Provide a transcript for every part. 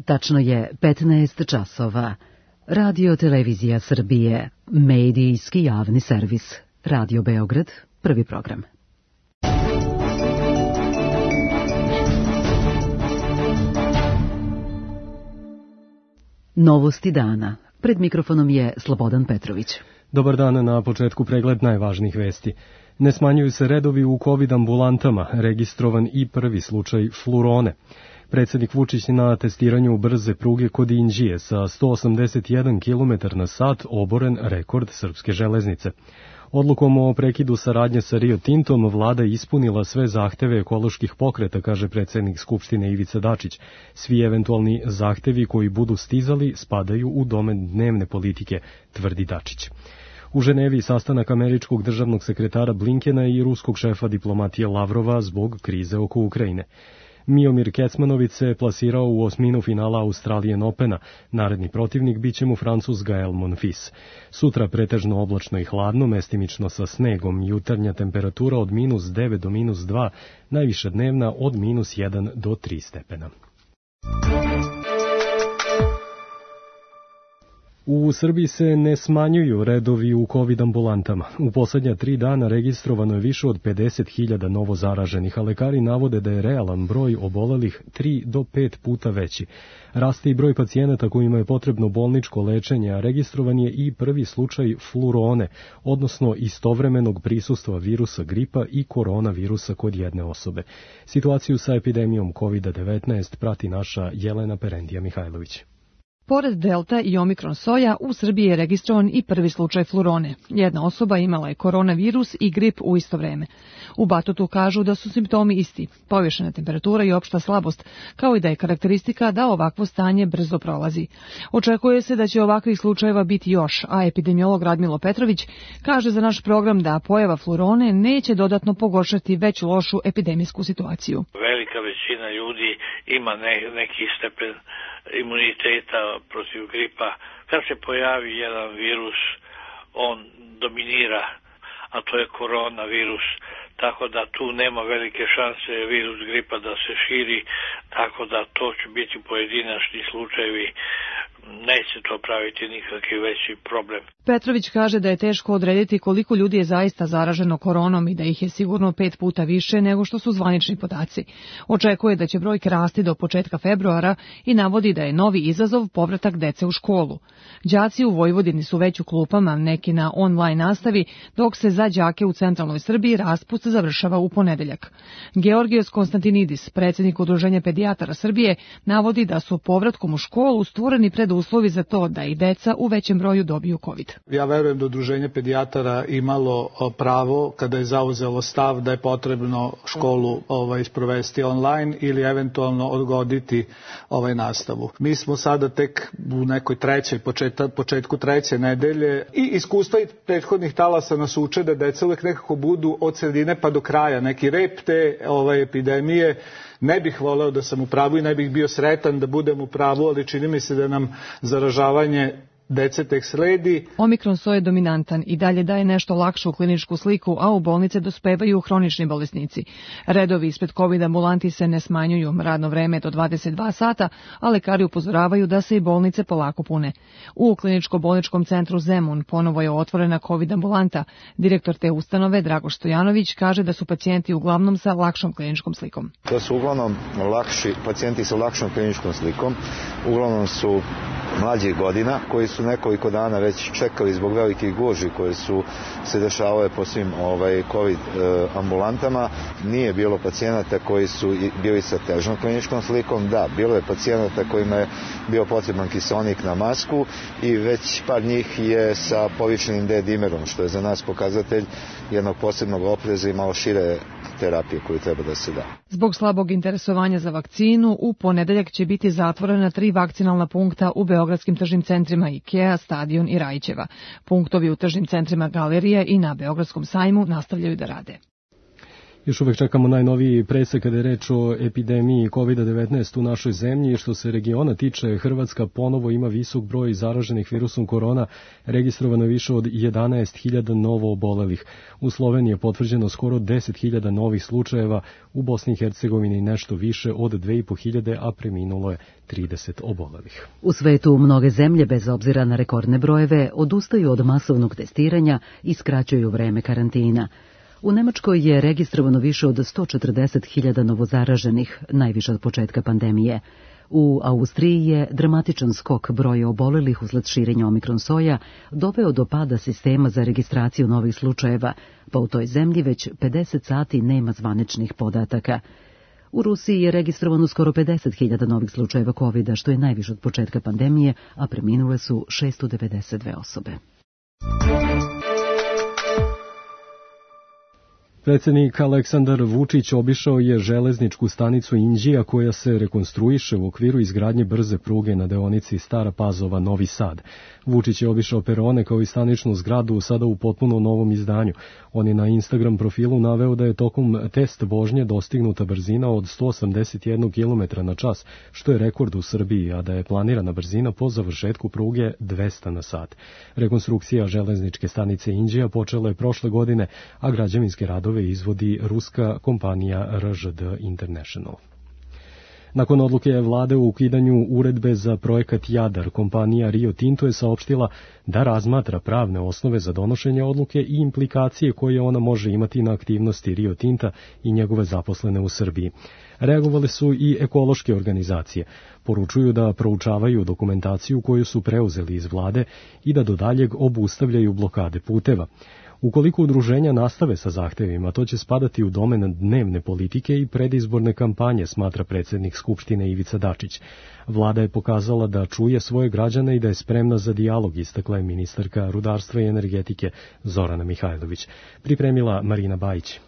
Tačno je 15 časova. Radio Televizija Srbije, medijski javni servis. Radio Beograd, prvi program. Novosti dana. Pred mikrofonom je Slobodan Petrović. Dobar dan, na početku pregled najvažnijih vesti. Ne smanjuju se redovi u COVID ambulantama, registrovan i prvi slučaj flurone. Predsjednik Vučić na testiranju brze pruge kod Inđije sa 181 km/h oboren rekord srpske železnice. Odlukom o prekidu saradnje sa Rio Tintom vlada ispunila sve zahteve ekoloških pokreta, kaže predsjednik Skupštine Ivica Dačić. Svi eventualni zahtevi koji budu stizali spadaju u domen dnevne politike, tvrdi Dačić. U Ženevi sastanak američkog državnog sekretara Blinkena i ruskog šefa diplomatije Lavrova zbog krize oko Ukrajine. Miomir Kecmanović se plasirao u osminu finala Australian Opena. Naredni protivnik biće mu Francuz Gael Monfils. Sutra pretežno oblačno i hladno, mestimično sa snegom, jutarnja temperatura od -9 do -2, najviša dnevna od -1 do 3 stepena. U Srbiji se ne smanjuju redovi u COVID ambulantama. U posljednja 3 dana registrovano je više od 50.000 novo zaraženih, a lekari navode da je realan broj obolelih 3 do 5 puta veći. Raste i broj pacijenata kojima je potrebno bolničko lečenje, a registrovan je i prvi slučaj flurone, odnosno istovremenog prisustva virusa gripa i koronavirusa kod jedne osobe. Situaciju sa epidemijom COVID-19 prati naša Jelena Perendija Mihajlović. Pored Delta i Omikron soja, u Srbiji je registrovan i prvi slučaj flurone. Jedna osoba imala je koronavirus i grip u isto vreme. U Batutu kažu da su simptomi isti, povišena temperatura i opšta slabost, kao i da je karakteristika da ovakvo stanje brzo prolazi. Očekuje se da će ovakvih slučajeva biti još, a epidemiolog Radmilo Petrović kaže za naš program da pojava flurone neće dodatno pogoršati već lošu epidemijsku situaciju. Velika većina ljudi ima neki stepen imuniteta protiv gripa. Kad se pojavi jedan virus, on dominira, a to je koronavirus, tako da tu nema velike šanse virus gripa da se širi, tako da to će biti pojedinačni slučajevi, neće to praviti nikakvi veći problem. Petrović kaže da je teško odrediti koliko ljudi je zaista zaraženo koronom i da ih je sigurno 5 puta više nego što su zvanični podaci. Očekuje da će brojke rasti do početka februara i navodi da je novi izazov povratak dece u školu. Đaci u Vojvodini su već u klupama, neki na online nastavi, dok se za đake u centralnoj Srbiji raspust završava u ponedeljak. Georgijos Konstantinidis, predsjednik Udruženja pedijatara Srbije, navodi da su povratkom u školu stvoreni preduslovi za to da i deca u većem broju dobiju COVID. Ja verujem da Udruženje pedijatara imalo pravo kada je zauzelo stav da je potrebno školu sprovesti online ili eventualno odgoditi nastavu. Mi smo sada tek u nekoj početku treće nedelje i iskustva i prethodnih talasa nas uče da deca uvek nekako budu od sredine pa do kraja. Neki rep te epidemije. Ne bih voleo da sam u pravu i ne bih bio sretan da budem u pravu, ali čini mi se da nam zaražavanje dece tek sledi. Omikron soj je dominantan i dalje daje nešto lakšu kliničku sliku, a u bolnice dospevaju hronični bolesnici. Redovi ispred COVID ambulanti se ne smanjuju, radno vreme do 22 sata, a lekari upozoravaju da se i bolnice polako pune. U kliničko-bolničkom centru Zemun ponovo je otvorena COVID ambulanta. Direktor te ustanove, Dragoš Stojanović, kaže da su pacijenti uglavnom sa lakšom kliničkom slikom. To su uglavnom pacijenti sa lakšom kliničkom slikom, uglavnom su mlađih godina, koji su nekoliko dana već čekali zbog velikih gužvi koje su se dešavale po svim COVID ambulantama. Nije bilo pacijenata koji su bili sa težom kliničkom slikom, da, bilo je pacijenata kojima je bio potreban kiseonik na masku i već par njih je sa povišenim D-dimerom, što je za nas pokazatelj jednog posebnog opreza i malo šire terapije koju treba da se da. Zbog slabog interesovanja za vakcinu, u ponedeljak će biti zatvorena 3 vakcinalna punkta u beogradskim tržnim centrima IKEA, Stadion i Rajićeva. Punktovi u tržnim centrima Galerija i na Beogradskom sajmu nastavljaju da rade. Još uvek čekamo najnoviji presek kada je reč o epidemiji COVID-19 u našoj zemlji. Što se regiona tiče, Hrvatska ponovo ima visok broj zaraženih virusom korona, registrovano je više od 11.000 novo obolelih. U Sloveniji je potvrđeno skoro 10.000 novih slučajeva, u Bosni i Hercegovini nešto više od 2.500, a preminulo je 30 obolelih. U svetu mnoge zemlje, bez obzira na rekordne brojeve, odustaju od masovnog testiranja i skraćuju vreme karantina. U Nemačkoj je registrovano više od 140.000 novozaraženih, najviše od početka pandemije. U Austriji je dramatičan skok broja obolelih usled širenja omikron soja doveo do pada sistema za registraciju novih slučajeva, pa u toj zemlji već 50 sati nema zvaničnih podataka. U Rusiji je registrovano skoro 50.000 novih slučajeva COVID-a, što je najviše od početka pandemije, a preminule su 692 osobe. Predsjednik Aleksandar Vučić obišao je železničku stanicu Inđija koja se rekonstruiše u okviru izgradnje brze pruge na deonici Stara Pazova-Novi Sad. Vučić je obišao perone kao i staničnu zgradu sada u potpuno novom izdanju. On je na Instagram profilu naveo da je tokom test vožnje dostignuta brzina od 181 km na čas, što je rekord u Srbiji, a da je planirana brzina po završetku pruge 200 na sat. Rekonstrukcija železničke stanice Inđija počela je prošle godine, a građevinske radove izvodi ruska kompanija RŽD International. Nakon odluke vlade o ukidanju uredbe za projekat Jadar, kompanija Rio Tinto je saopštila da razmatra pravne osnove za donošenje odluke i implikacije koje ona može imati na aktivnosti Rio Tinta i njegove zaposlene u Srbiji. Reagovale su i ekološke organizacije. Poručuju da proučavaju dokumentaciju koju su preuzeli iz vlade i da do daljeg obustavljaju blokade puteva. Ukoliko udruženja nastave sa zahtevima, to će spadati u domen dnevne politike i predizborne kampanje, smatra predsjednik Skupštine Ivica Dačić. Vlada je pokazala da čuje svoje građane i da je spremna za dijalog, istakla je ministarka rudarstva i energetike Zorana Mihajlović. Pripremila Marina Bajić.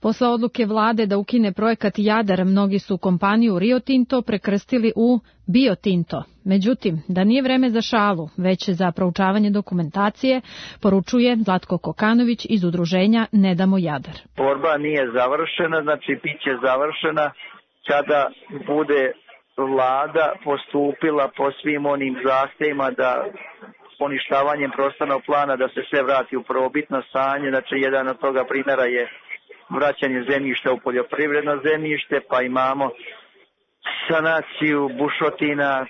Posle odluke vlade da ukine projekat Jadar, mnogi su kompaniju Rio Tinto prekrstili u Bio Tinto. Međutim, da nije vreme za šalu, već za proučavanje dokumentacije, poručuje Zlatko Kokanović iz udruženja Ne damo Jadar. Borba nije završena, znači biće završena kada bude vlada postupila po svim onim zahtevima da poništavanjem prostornog plana da se sve vrati u prvobitno stanje. Znači, jedan od toga primjera je vraćanje zemljišta u poljoprivredno zemljište, pa imamo sanaciju bušotina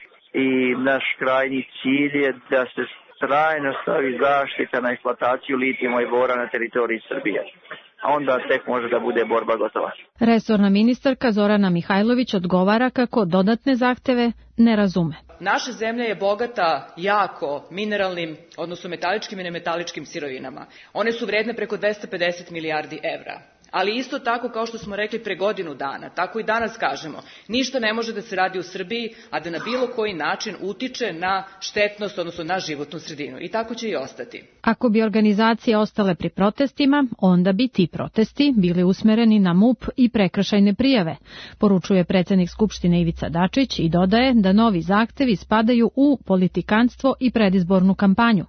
i naš krajnji cilj je da se trajno stavi zaštita na eksploataciju litijuma i bora na teritoriji Srbije. A onda tek može da bude borba gotova. Resorna ministarka Zorana Mihajlović odgovara kako dodatne zahteve ne razume. Naša zemlja je bogata jako mineralnim, odnosno metaličkim i nemetaličkim sirovinama. One su vredne preko 250 milijardi evra. Ali isto tako, kao što smo rekli pre godinu dana, tako i danas kažemo, ništa ne može da se radi u Srbiji, a da na bilo koji način utiče na štetnost, odnosno na životnu sredinu. I tako će i ostati. Ako bi organizacije ostale pri protestima, onda bi ti protesti bili usmereni na MUP i prekršajne prijave, poručuje predsjednik Skupštine Ivica Dačić i dodaje da novi zahtevi spadaju u politikanstvo i predizbornu kampanju.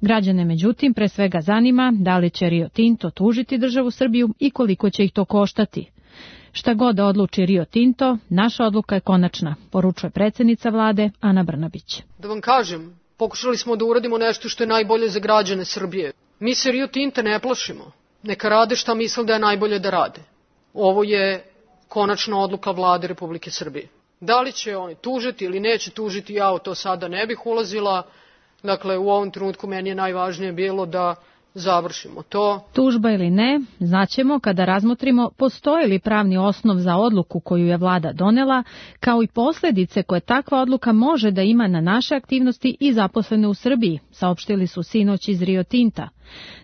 Građane, međutim, pre svega zanima da li će Rio Tinto tužiti državu Srbiju i koliko će ih to koštati. Šta god da odluči Rio Tinto, naša odluka je konačna, poručuje predsjednica vlade Ana Brnabić. Da vam kažem, pokušali smo da uradimo nešto što je najbolje za građane Srbije. Mi se Rio Tinta ne plašimo. Neka rade šta misle da je najbolje da rade. Ovo je konačna odluka vlade Republike Srbije. Da li će oni tužiti ili neće tužiti, ja u to sada ne bih ulazila. Dakle, u ovom trenutku meni je najvažnije bilo da završimo to. Tužba ili ne, znaćemo kada razmotrimo postoji li pravni osnov za odluku koju je vlada donela, kao i posljedice koje takva odluka može da ima na naše aktivnosti i zaposlene u Srbiji, saopštili su sinoć iz Rio Tinta.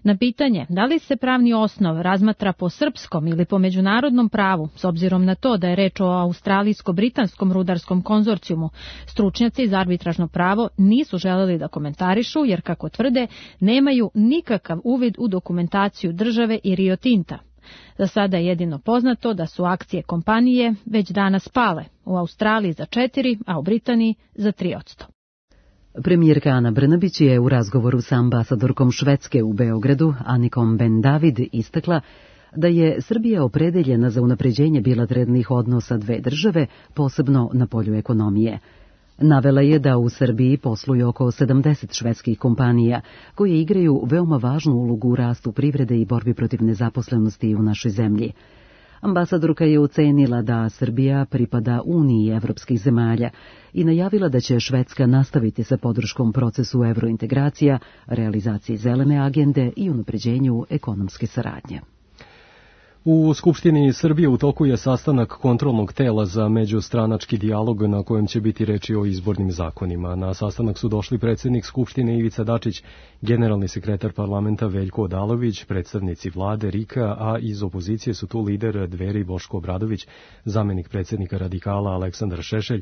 Na pitanje da li se pravni osnov razmatra po srpskom ili po međunarodnom pravu, s obzirom na to da je reč o australijsko-britanskom rudarskom konzorcijumu, stručnjaci za arbitražno pravo nisu želeli da komentarišu, jer, kako tvrde, nemaju nikakav uvid u dokumentaciju države i Rio Tinta. Za sada je jedino poznato da su akcije kompanije već danas pale, u Australiji za 4%, a u Britaniji za 3%. Premijerka Ana Brnabić je u razgovoru sa ambasadorkom Švedske u Beogradu, Anikom Ben David, istakla da je Srbija opredeljena za unapređenje bilateralnih odnosa dve države, posebno na polju ekonomije. Navela je da u Srbiji posluju oko 70 švedskih kompanija, koje igraju veoma važnu ulogu u rastu privrede i borbi protiv nezaposlenosti u našoj zemlji. Ambasadorka je ocenila da Srbija pripada Uniji evropskih zemalja i najavila da će Švedska nastaviti sa podrškom procesu evrointegracija, realizaciji zelene agende i unapređenju ekonomske saradnje. U Skupštini Srbije u toku je sastanak kontrolnog tela za međustranački dijalog na kojem će biti reči o izbornim zakonima. Na sastanak su došli predsjednik Skupštine Ivica Dačić, generalni sekretar parlamenta Veljko Odalović, predstavnici vlade Rika, a iz opozicije su tu lider Dveri Boško Obradović, zamenik predsjednika Radikala Aleksandar Šešelj,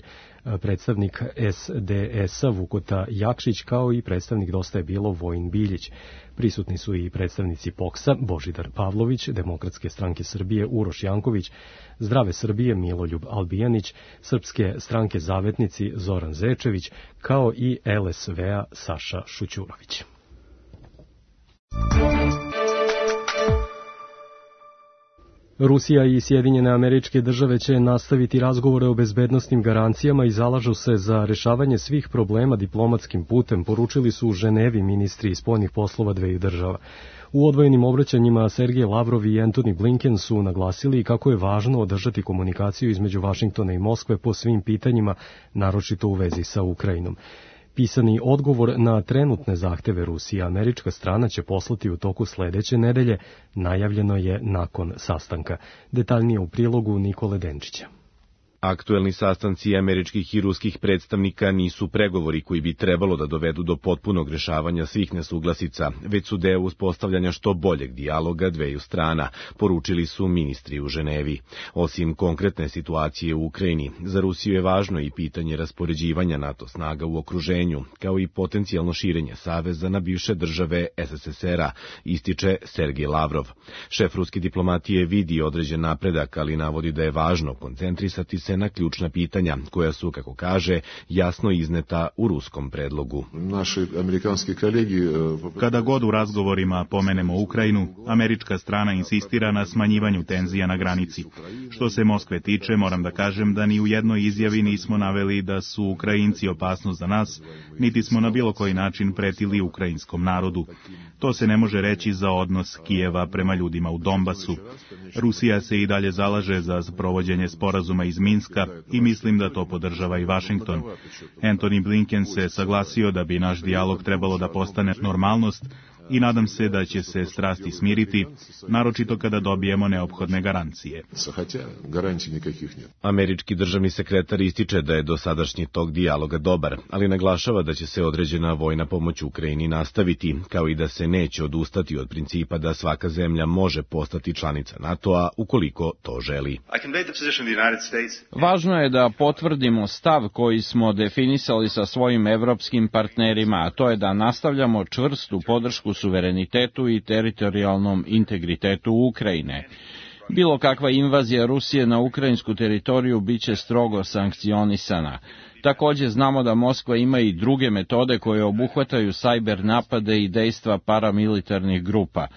predstavnik SDS-a Vukota Jakšić, kao i predstavnik Dosta je bilo Vojin Biljić. Prisutni su i predstavnici POKS-a Božidar Pavlović, Demokratske stranke Srbije Uroš Janković, Zdrave Srbije Miloljub Albijanić, Srpske stranke Zavetnici Zoran Zečević, kao i LSV-a Saša Šućurović. Rusija i Sjedinjene Američke Države će nastaviti razgovore o bezbednosnim garancijama i zalažu se za rešavanje svih problema diplomatskim putem, poručili su u Ženevi ministri spoljnih poslova dveju država. U odvojenim obraćanjima Sergej Lavrov i Antony Blinken su naglasili kako je važno održati komunikaciju između Vašingtona i Moskve po svim pitanjima, naročito u vezi sa Ukrajinom. Pisani odgovor na trenutne zahteve Rusije američka strana će poslati u toku sledeće nedelje, najavljeno je nakon sastanka. Detaljnije u prilogu Nikole Denčića. Aktuelni sastanci američkih i ruskih predstavnika nisu pregovori koji bi trebalo da dovedu do potpunog rešavanja svih nesuglasica, već su deo uspostavljanja što boljeg dijaloga dveju strana, poručili su ministri u Ženevi. Osim konkretne situacije u Ukrajini, za Rusiju je važno i pitanje raspoređivanja NATO snaga u okruženju, kao i potencijalno širenje saveza na bivše države SSSR-a, ističe Sergej Lavrov. Šef ruske diplomatije vidi određen napredak, ali navodi da je važno koncentrisati se na ključna pitanja, koja su, kako kaže, jasno izneta u ruskom predlogu. Kada god u razgovorima pomenemo Ukrajinu, američka strana insistira na smanjivanju tenzija na granici. Što se Moskve tiče, moram da kažem da ni u jednoj izjavi nismo naveli da su Ukrajinci opasnost za nas, niti smo na bilo koji način pretili ukrajinskom narodu. To se ne može reći za odnos Kijeva prema ljudima u Donbasu. Rusija se i dalje zalaže za provođenje sporazuma iz Minska i mislim da to podržava i Vašington. Antony Blinken se saglasio da bi naš dijalog trebalo da postane normalnost i nadam se da će se strasti smiriti, naročito kada dobijemo neophodne garancije. Američki državni sekretar ističe da je dosadašnji tok dijaloga dobar, ali naglašava da će se određena vojna pomoć Ukrajini nastaviti, kao i da se neće odustati od principa da svaka zemlja može postati članica NATO-a ukoliko to želi. Važno je da potvrdimo stav koji smo definisali sa svojim evropskim partnerima, a to je da nastavljamo čvrstu podršku suverenitetu i teritorijalnom integritetu Ukrajine. Bilo kakva invazija Rusije na ukrajinsku teritoriju biće strogo sankcionisana. Također znamo da Moskva ima i druge metode koje obuhvataju sajber napade i dejstva paramilitarnih grupa.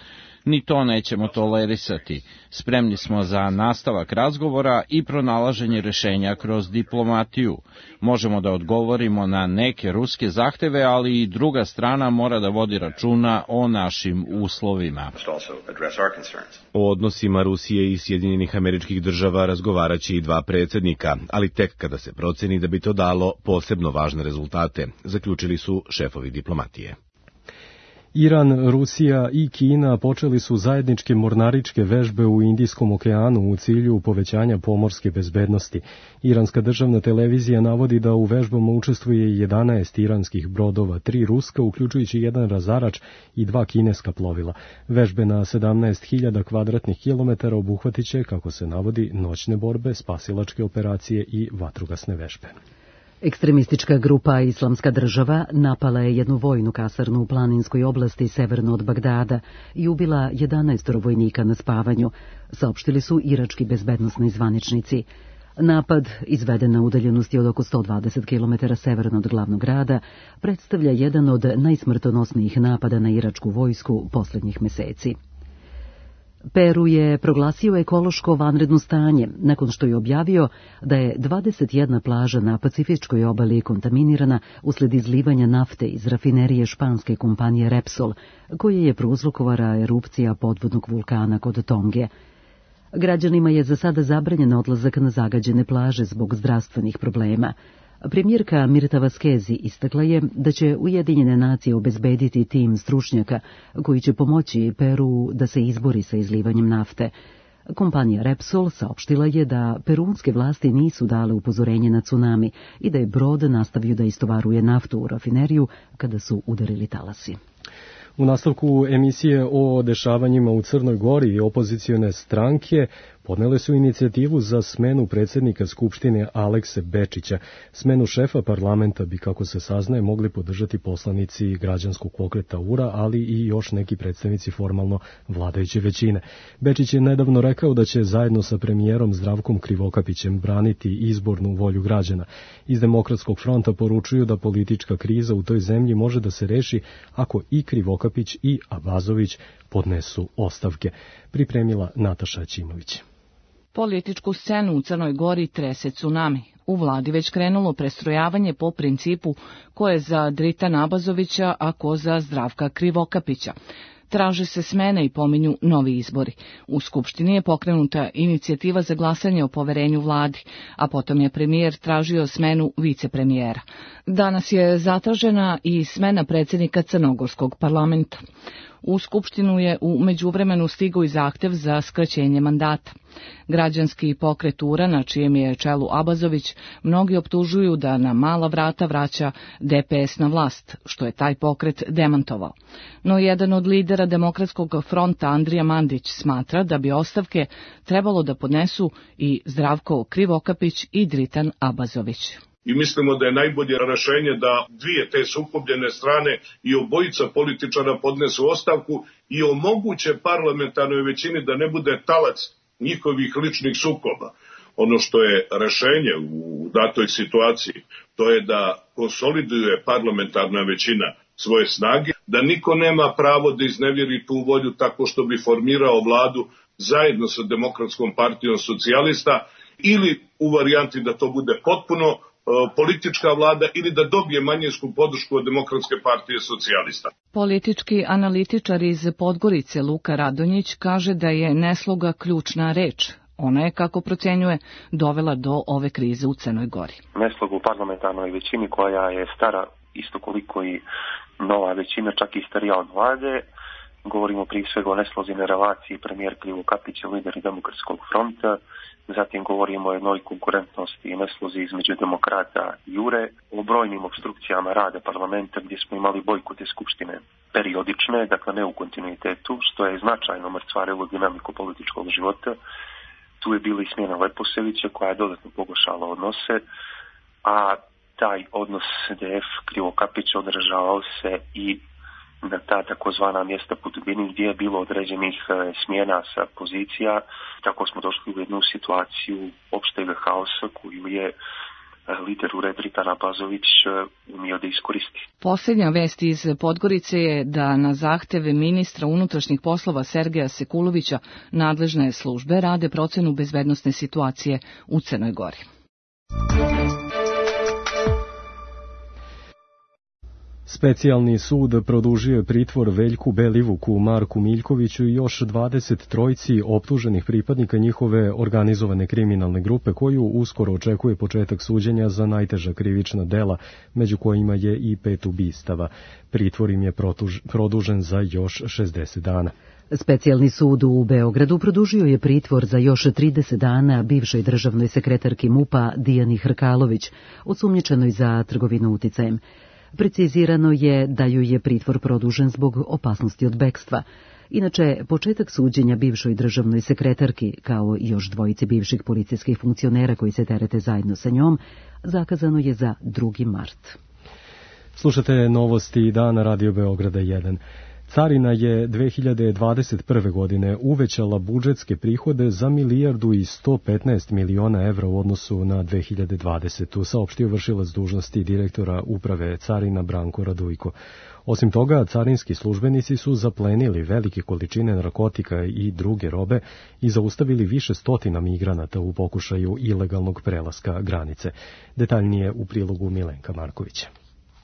Ni to nećemo tolerisati. Spremni smo za nastavak razgovora i pronalaženje rešenja kroz diplomatiju. Možemo da odgovorimo na neke ruske zahteve, ali i druga strana mora da vodi računa o našim uslovima. O odnosima Rusije i Sjedinjenih Američkih Država razgovaraće i dva predsjednika, ali tek kada se proceni da bi to dalo posebno važne rezultate, zaključili su šefovi diplomatije. Iran, Rusija i Kina počeli su zajedničke mornaričke vežbe u Indijskom okeanu u cilju povećanja pomorske bezbednosti. Iranska državna televizija navodi da u vežbama učestvuje 11 iranskih brodova, 3 ruska, uključujući 1 razarač i 2 kineska plovila. Vežbe na 17.000 kvadratnih kilometara obuhvatit će, kako se navodi, noćne borbe, spasilačke operacije i vatrogasne vežbe. Ekstremistička grupa Islamska država napala je jednu vojnu kasarnu u planinskoj oblasti severno od Bagdada i ubila 11 vojnika na spavanju, saopštili su irački bezbednosni zvaničnici. Napad, izveden na udaljenosti od oko 120 km severno od glavnog grada, predstavlja jedan od najsmrtonosnijih napada na iračku vojsku posljednjih meseci. Peru je proglasio ekološko vanredno stanje nakon što je objavio da je 21 plaža na Pacifičkoj obali kontaminirana usled izlivanja nafte iz rafinerije španske kompanije Repsol, koje je prouzrokovala erupcija podvodnog vulkana kod Tonge. Građanima je za sada zabranjen odlazak na zagađene plaže zbog zdravstvenih problema. Premijerka Mirta Vaskezi istakla je da će Ujedinjene nacije obezbediti tim stručnjaka koji će pomoći Peru da se izbori sa izlivanjem nafte. Kompanija Repsol saopštila je da perunske vlasti nisu dale upozorenje na tsunami i da je brod nastavio da istovaruje naftu u rafineriju kada su udarili talasi. U nastavku emisije o dešavanjima u Crnoj Gori i opozicione stranke podnele su inicijativu za smenu predsjednika Skupštine Alekse Bečića. Smenu šefa parlamenta bi, kako se saznaje, mogli podržati poslanici građanskog pokreta URA, ali i još neki predstavnici formalno vladajuće većine. Bečić je nedavno rekao da će zajedno sa premijerom Zdravkom Krivokapićem braniti izbornu volju građana. Iz Demokratskog fronta poručuju da politička kriza u toj zemlji može da se reši ako i Krivokapić i Abazović podnesu ostavke. Pripremila Nataša Ćimović. Političku scenu u Crnoj Gori trese tsunami. U vladi već krenulo prestrojavanje po principu ko je za Dritana Abazovića, a ko za Zdravka Krivokapića. Traže se smene i pominju novi izbori. U Skupštini je pokrenuta inicijativa za glasanje o poverenju vladi, a potom je premijer tražio smenu vicepremijera. Danas je zatražena i smena predsjednika Crnogorskog parlamenta. U Skupštinu je u međuvremenu stigao i zahtev za skraćenje mandata. Građanski pokret URA, na čijem je čelu Abazović, mnogi optužuju da na mala vrata vraća DPS na vlast, što je taj pokret demantovao. No jedan od lidera Demokratskog fronta, Andrija Mandić, smatra da bi ostavke trebalo da podnesu i Zdravko Krivokapić i Dritan Abazović. I mislimo da je najbolje rešenje da dvije te sukobljene strane i obojica političara podnesu ostavku i omoguće parlamentarnoj većini da ne bude talac njihovih ličnih sukoba. Ono što je rešenje u datoj situaciji, to je da konsoliduje parlamentarna većina svoje snage, da niko nema pravo da iznevjeri tu volju tako što bi formirao vladu zajedno sa Demokratskom partijom socijalista ili u varijanti da to bude potpuno politička vlada ili da dobije manjinsku podršku od Demokratske partije socijalista. Politički analitičar iz Podgorice Luka Radonjić kaže da je nesloga ključna reč. Ona je, kako procenjuje, dovela do ove krize u Crnoj Gori. Nesloga u parlamentarnoj većini koja je stara isto koliko i nova većina, čak i starija od vlade. Govorimo prije svega o neslozi na relaciji premijer Krivokapić i lideri Demokratskog fronta. Zatim govorimo o jednoj konkurentnosti i neslozi između demokrata i URE, o brojnim obstrukcijama rada parlamenta gdje smo imali bojkote skupštine periodične, dakle ne u kontinuitetu, što je značajno mrcvarilo dinamiku političkog života. Tu je bila i smjena Leposevića koja je dodatno pogoršala odnose, a taj odnos DF Krivokapić odražavao se i na ta takozvana mjesta po dubini gdje je bilo određenih smjena sa pozicija. Tako smo došli u jednu situaciju opšteg haosa koju je lider URE Dritan Abazović umio da iskoristi. Posljednja vest iz Podgorice je da na zahteve ministra unutrašnjih poslova Sergeja Sekulovića nadležne službe rade procenu bezbednosne situacije u Crnoj Gori. Specijalni sud produžio je pritvor Veljku Belivuku, Marku Miljkoviću i još 23 optuženih pripadnika njihove organizovane kriminalne grupe koju uskoro očekuje početak suđenja za najteža krivična dela, među kojima je i 5 ubistava. Pritvor im je produžen za još 60 dana. Specijalni sud u Beogradu produžio je pritvor za još 30 dana bivšoj državnoj sekretarki MUP-a Dijani Hrkalović, osumnjičenoj za trgovinu uticajem. Precizirano je da joj je pritvor produžen zbog opasnosti od bekstva. Inače, početak suđenja bivšoj državnoj sekretarki, kao i još dvojici bivših policijskih funkcionera koji se terete zajedno sa njom, zakazano je za 2. mart. Slušate novosti dana Radio Beograda 1. Carina je 2021. godine uvećala budžetske prihode za 1.115 miliona evra u odnosu na 2020. saopštio vršilac dužnosti direktora uprave Carina Branko Radujko. Osim toga, carinski službenici su zaplenili velike količine narkotika i druge robe i zaustavili više stotina migranata u pokušaju ilegalnog prelaska granice. Detaljnije u prilogu Milenka Markovića.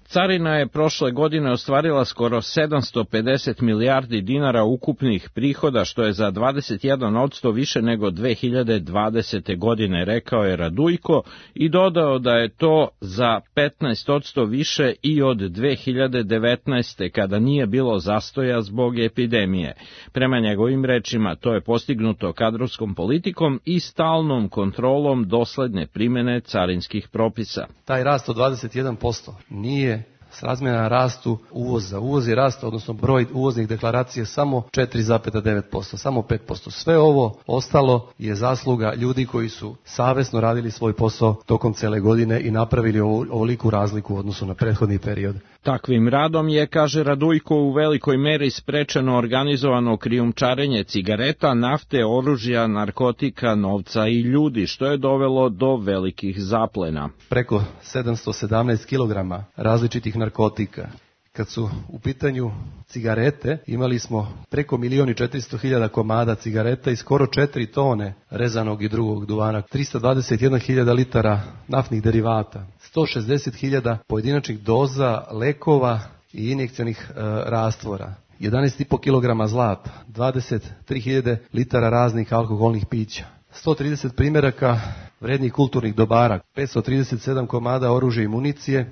Carina je prošle godine ostvarila skoro 750 milijardi dinara ukupnih prihoda, što je za 21% više nego 2020. godine, rekao je Radujko i dodao da je to za 15% više i od 2019. kada nije bilo zastoja zbog epidemije. Prema njegovim rečima, to je postignuto kadrovskom politikom i stalnom kontrolom dosledne primene carinskih propisa. Taj rast od 21% nije srazmjeran rastu uvoza. Uvoz je rast, odnosno broj uvoznih deklaracija samo 4,9%, samo 5%. Sve ovo ostalo je zasluga ljudi koji su savesno radili svoj posao tokom cele godine i napravili ovoliku razliku u odnosu na prethodni period. Takvim radom je, kaže Radujko, u velikoj meri sprečeno organizovano krijumčarenje cigareta, nafte, oružja, narkotika, novca i ljudi, što je dovelo do velikih zaplena. Preko 717 kilograma različitih narkotika. Kad su u pitanju cigarete, imali smo preko 1.400.000 komada cigareta i skoro 4 tone rezanog i drugog duvana, 321.000 litara naftnih derivata, 160.000 pojedinačnih doza lekova i injekcionih rastvora, 11,5 kg zlata, 23.000 litara raznih alkoholnih pića, 130 primjeraka vrednih kulturnih dobara, 537 komada oružja i municije.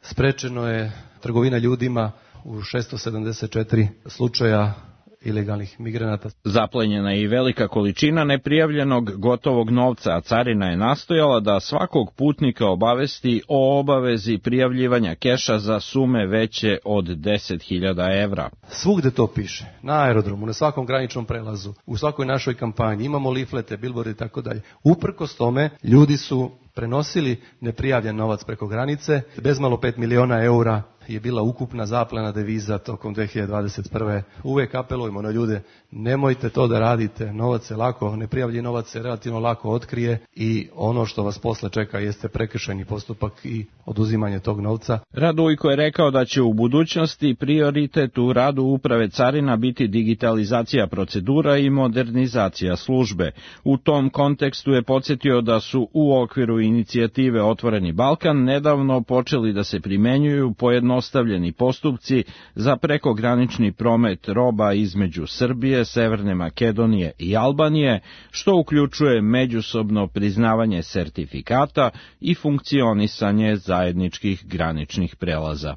Sprečeno je trgovina ljudima u 674 slučaja ilegalnih migranata. Zaplenjena je i velika količina neprijavljenog gotovog novca, a carina je nastojala da svakog putnika obavesti o obavezi prijavljivanja keša za sume veće od 10.000 evra. Svugde to piše, na aerodromu, na svakom graničnom prelazu, u svakoj našoj kampanji, imamo liflete, bilborde i tako dalje. Uprkos tome, ljudi su prenosili neprijavljen novac preko granice, bezmalo 5 miliona eura je bila ukupna zaplena deviza tokom 2021. Uvek apelujemo na ljude, nemojte to da radite, novac je lako, neprijavljen novac se relativno lako otkrije i ono što vas posle čeka jeste prekršajni postupak i oduzimanje tog novca. Radujko je rekao da će u budućnosti prioritet u radu uprave carina biti digitalizacija procedura i modernizacija službe. U tom kontekstu je podsjetio da su u okviru inicijative Otvoreni Balkan nedavno počeli da se primenjuju pojednostavljeni postupci za prekogranični promet roba između Srbije, Severne Makedonije i Albanije, što uključuje međusobno priznavanje sertifikata i funkcionisanje zajedničkih graničnih prelaza.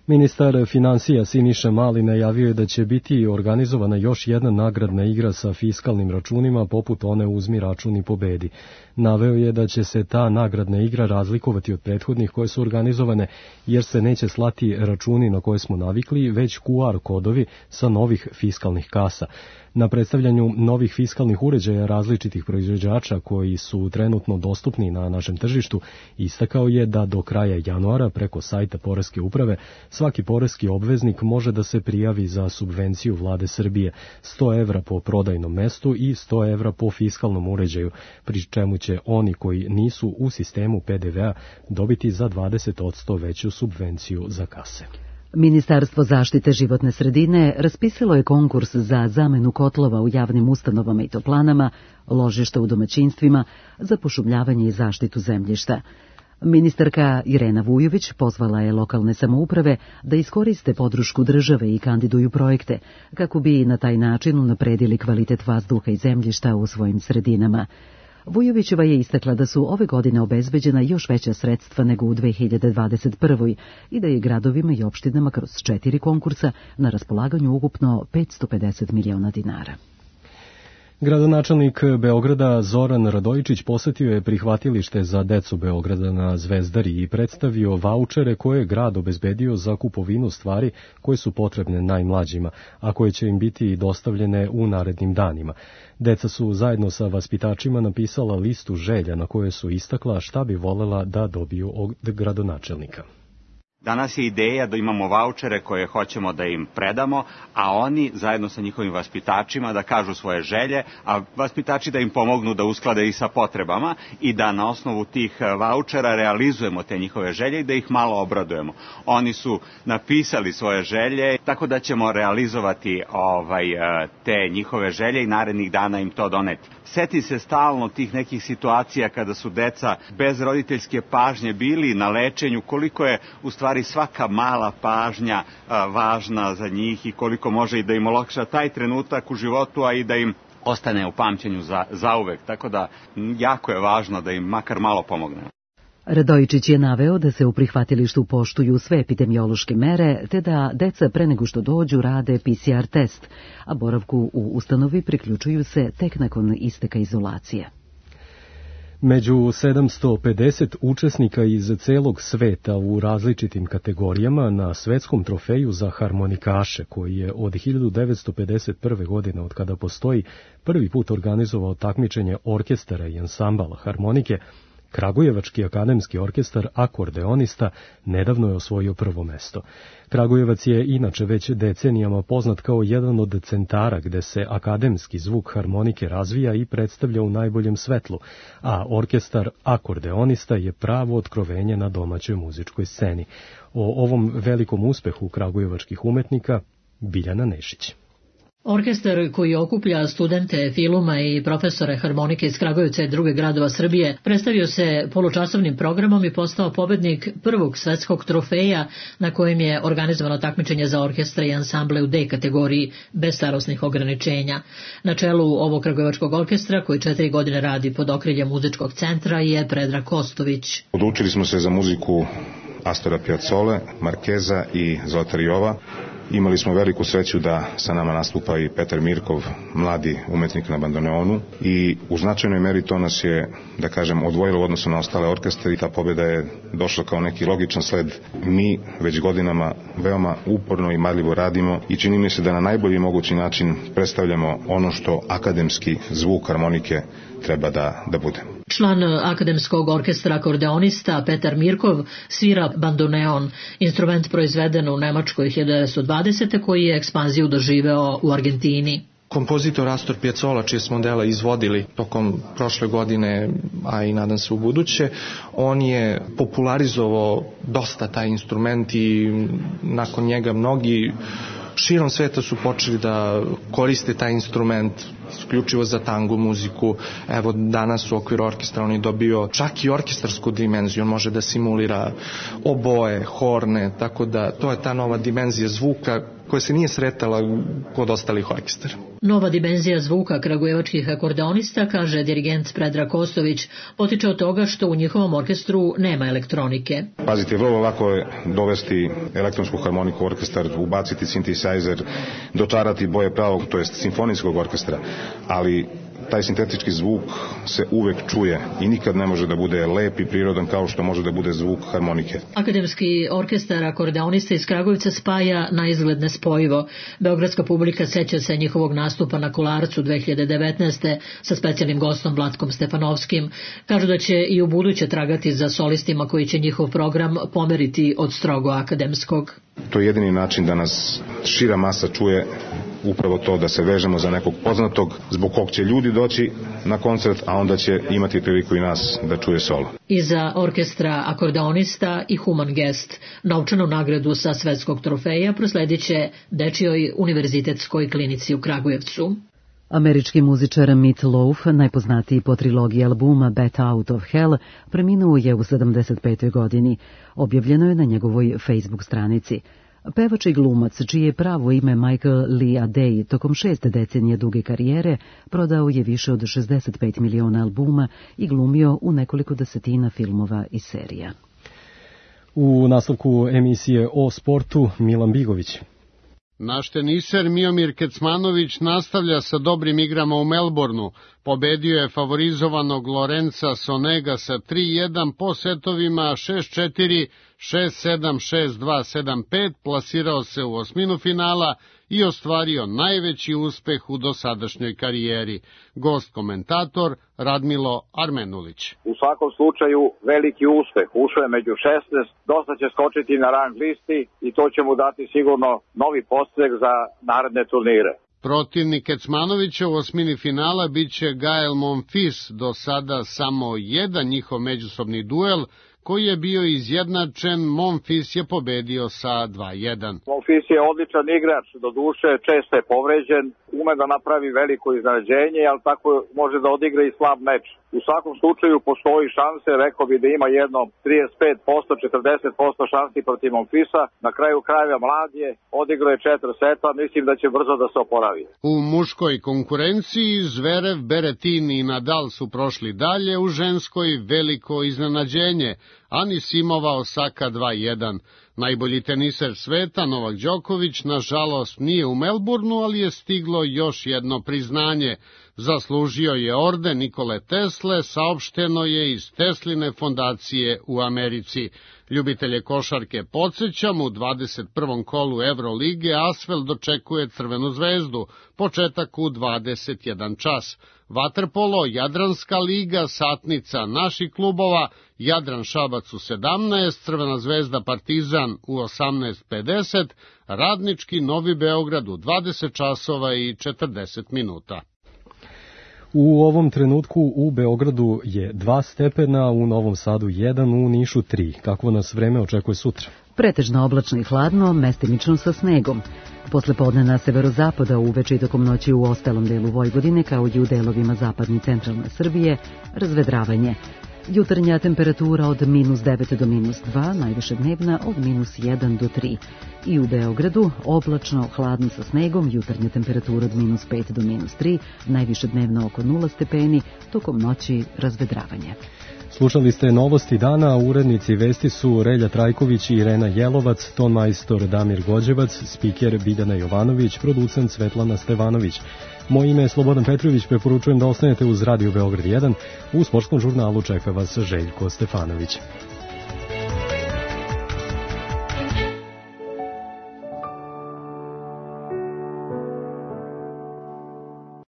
Ministar finansija Siniša Mali najavio je da će biti organizovana još jedna nagradna igra sa fiskalnim računima poput one Uzmi račun i pobedi. Naveo je da će se ta nagradna igra razlikovati od prethodnih koje su organizovane jer se neće slati računi na koje smo navikli, već QR kodovi sa novih fiskalnih kasa. Na predstavljanju novih fiskalnih uređaja različitih proizvođača koji su trenutno dostupni na našem tržištu, istakao je da do kraja januara preko sajta Poreske uprave svaki poreski obveznik može da se prijavi za subvenciju vlade Srbije, 100 evra po prodajnom mestu i 100 evra po fiskalnom uređaju, pri čemu će oni koji nisu u sistemu PDV-a dobiti za 20% veću subvenciju za kase. Ministarstvo zaštite životne sredine raspisalo je konkurs za zamenu kotlova u javnim ustanovama i toplanama, ložišta u domaćinstvima, za pošumljavanje i zaštitu zemljišta. Ministarka Irena Vujović pozvala je lokalne samouprave da iskoriste podršku države i kandiduju projekte, kako bi na taj način unapredili kvalitet vazduha i zemljišta u svojim sredinama. Vujovićeva je istakla da su ove godine obezbeđena još veća sredstva nego u 2021. i da je gradovima i opštinama kroz 4 konkursa na raspolaganju ukupno 550 miliona dinara. Gradonačelnik Beograda Zoran Radojičić posetio je prihvatilište za decu Beograda na Zvezdari i predstavio vaučere koje je grad obezbedio za kupovinu stvari koje su potrebne najmlađima, a koje će im biti dostavljene u narednim danima. Deca su zajedno sa vaspitačima napisala listu želja na kojoj su istakla šta bi volela da dobiju od gradonačelnika. Danas je ideja da imamo vaučere koje hoćemo da im predamo, a oni zajedno sa njihovim vaspitačima da kažu svoje želje, a vaspitači da im pomognu da usklade i sa potrebama i da na osnovu tih vaučera realizujemo te njihove želje i da ih malo obradujemo. Oni su napisali svoje želje, tako da ćemo realizovati te njihove želje i narednih dana im to doneti. Seti se stalno tih nekih situacija kada su deca bez roditeljske pažnje bili na lečenju, koliko je u stvari svaka mala pažnja važna za njih i koliko može i da im olakša taj trenutak u životu, a i da im ostane u pamćenju zauvek. Tako da jako je važno da im makar malo pomogne. Radojičić je naveo da se u prihvatilištu poštuju sve epidemiološke mere, te da deca pre nego što dođu rade PCR test, a boravku u ustanovi priključuju se tek nakon isteka izolacije. Među 750 učesnika iz celog sveta u različitim kategorijama na svetskom trofeju za harmonikaše, koji je od 1951. godine, od kada postoji, prvi put organizovao takmičenje orkestara i ansambala harmonike, Kragujevački akademski orkestar akordeonista nedavno je osvojio prvo mesto. Kragujevac je inače već decenijama poznat kao jedan od centara gde se akademski zvuk harmonike razvija i predstavlja u najboljem svetlu, a orkestar akordeonista je pravo otkrovenje na domaćoj muzičkoj sceni. O ovom velikom uspehu kragujevačkih umetnika Biljana Nešić. Orkestar koji okuplja studente filuma i profesore harmonike iz Kragujevca i druge gradova Srbije predstavio se polučasovnim programom i postao pobednik prvog svetskog trofeja na kojem je organizovano takmičenje za orkestre i ansamble u D kategoriji bez starosnih ograničenja. Na čelu ovog kragujevačkog orkestra, koji 4 godine radi pod okriljem muzičkog centra, je Predrag Kostović. Odlučili smo se za muziku Astora Piazzole, Markeza i Zlatariova. Imali smo veliku sreću da sa nama nastupa i Petar Mirkov, mladi umetnik na bandoneonu, i u značajnoj meri to nas je, da kažem, odvojilo u odnosu na ostale orkestre i ta pobjeda je došla kao neki logičan sled. Mi već godinama veoma uporno i marljivo radimo i čini mi se da na najbolji mogući način predstavljamo ono što akademski zvuk harmonike treba da bude. Član akademskog orkestra akordeonista Petar Mirkov svira bandoneon, instrument proizveden u Nemačkoj 1920. koji je ekspanziju doživeo u Argentini. Kompozitor Astor Piazzolla, čije smo dela izvodili tokom prošle godine, a i nadam se u buduće, on je popularizovao dosta taj instrument i nakon njega mnogi širom sveta su počeli da koriste taj instrument isključivo za tango muziku. Evo danas u okviru orkestra on je dobio čak i orkestarsku dimenziju, on može da simulira oboje, horne, tako da to je ta nova dimenzija zvuka koja se nije sretala kod ostalih orkestara. Nova dimenzija zvuka kragujevačkih akordeonista, kaže dirigent Predrag Kostović, potiče od toga što u njihovom orkestru nema elektronike. Pazite, vrlo lako je dovesti elektronsku harmoniku u orkestar, ubaciti synthesizer, dočarati boje pravog, to jest simfonijskog orkestra, ali taj sintetički zvuk se uvek čuje i nikad ne može da bude lep i prirodan kao što može da bude zvuk harmonike. Akademski orkestar akordeonista iz Kragujevca spaja na izgled nespojivo. Beogradska publika seća se njihovog nastupa na Kolarcu 2019. sa specijalnim gostom Vlatkom Stefanovskim. Kažu da će i u buduće tragati za solistima koji će njihov program pomeriti od strogo akademskog. To je jedini način da nas šira masa čuje, upravo to da se vežemo za nekog poznatog, zbog kog će ljudi doći na koncert, a onda će imati priliku i nas da čuje solo. Iza orkestra akordeonista i Human Gest, novčanu nagradu sa svetskog trofeja prosledit će Dečijoj univerzitetskoj klinici u Kragujevcu. Američki muzičar Meat Loaf, najpoznatiji po trilogiji albuma Bat Out of Hell, preminuo je u 75. godini. Objavljeno je na njegovoj Facebook stranici. Pevač i glumac, čije pravo ime Michael Lee Adey, tokom 6 decenije duge karijere, prodao je više od 65 miliona albuma i glumio u nekoliko desetina filmova i serija. U nastavku emisije o sportu Milan Bigović. Naš teniser Miomir Kecmanović nastavlja sa dobrim igrama u Melbourneu. Pobedio je favorizovanog Lorenza Sonega sa 3-1 po setovima 6-4, 6-7, 6-2, 7-5, plasirao se u osminu finala i ostvario najveći uspeh u dosadašnjoj karijeri. Gost komentator Radmilo Armenulić. U svakom slučaju veliki uspeh, ušao je među 16, dosta će skočiti na rang listi i to će mu dati sigurno novi podstrek za naredne turnire. Protivnik Kecmanovića u osmini finala biće Gael Monfils, do sada samo jedan njihov međusobni duel, koji je bio izjednačen. Monfils je pobedio sa 2-1. Monfils je odličan igrač, do duše često je povređen, ume da napravi veliko iznenađenje, ali tako može da odigra i slab meč. U svakom slučaju postoji šanse, rekao bi da ima jedno 35%, 40% šansi protiv Monfilsa. Na kraju krajeva mlad je, odigrao je 4 seta, mislim da će brzo da se oporavi. U muškoj konkurenciji Zverev, Beretin i Nadal su prošli dalje, u ženskoj veliko iznenađenje. Anisimova Osaka 2-1. Najbolji teniser sveta, Novak Đoković, nažalost nije u Melbourneu, ali je stiglo još jedno priznanje. Zaslužio je orden Nikole Tesle, saopšteno je iz Tesline fondacije u Americi. Ljubitelje košarke podsjećam, u 21. kolu Evrolige Asvel dočekuje Crvenu zvezdu, početak u 21 čas. Vaterpolo, Jadranska liga, satnica naših klubova, Jadran Šabac u 17, Crvena zvezda Partizan u 18:50, Radnički Novi Beograd u 20 časova i 40 minuta. U ovom trenutku u Beogradu je 2 stepena, u Novom Sadu 1, u Nišu 3. Kakvo nas vreme očekuje sutra? Pretežno oblačno i hladno, mestimično sa snegom. Posle podne na severozapada, uveče i tokom noći u ostalom delu Vojvodine, kao i u delovima zapadne i centralne Srbije, razvedravanje. Jutarnja temperatura od -9 do -2, najviše dnevna od -1 do 3. I u Beogradu oblačno, hladno sa snegom, jutarnja temperatura od -5 do -3, najviše dnevna oko 0 stepeni, tokom noći razvedravanje. Slušali ste novosti dana, urednici vesti su Relja Trajković i Irena Jelovac, tonmajstor Damir Gođevac, spiker Biljana Jovanović, producent Svetlana Stevanović. Moje ime je Slobodan Petrović, preporučujem da ostanete uz Radio Beograd 1, u sportskom žurnalu čeka vas Željko Stefanović.